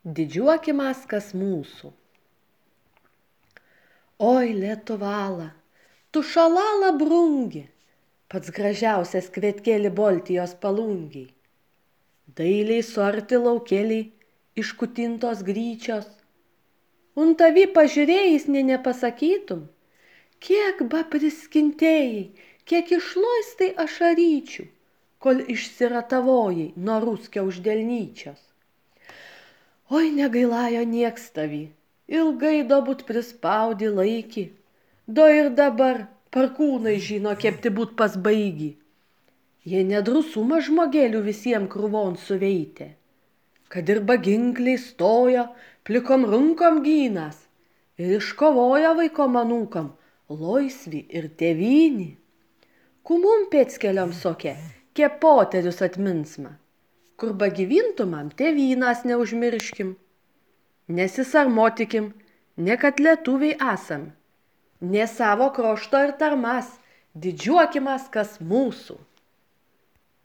Didžiuokimas, kas mūsų. Oi, Lietuvala, tu šalala brungi, pats gražiausias kvietkėli Baltijos palungiai. Dailiai suarti laukėliai, iškutintos gryčios. Un tavi pažiūrėjus nepasakytum, kiek ba priskintėjai, kiek išloistai ašaryčių, kol išsiratavojai nuo ruskio uždelnyčios. Oi, negailajo nieks tavi, ilgai būt prispaudi laikį, do ir dabar parkūnai žino, kepti būt pasbaigi. Jie nedrusumą žmogėlių visiems krūvon suveitė, kad ir baginkliai stojo, plikom runkom gynas ir iškovojo vaikom anūkam laisvį ir tėvynį. Kumum pėckeliom soke, kepoterius atminsma, kur bagyvintumam tėvynas neužmirškim. Nesisarmotikim, ne kad lietuviai esam, ne savo krošto ir tarmas, didžiuokimas, kas mūsų.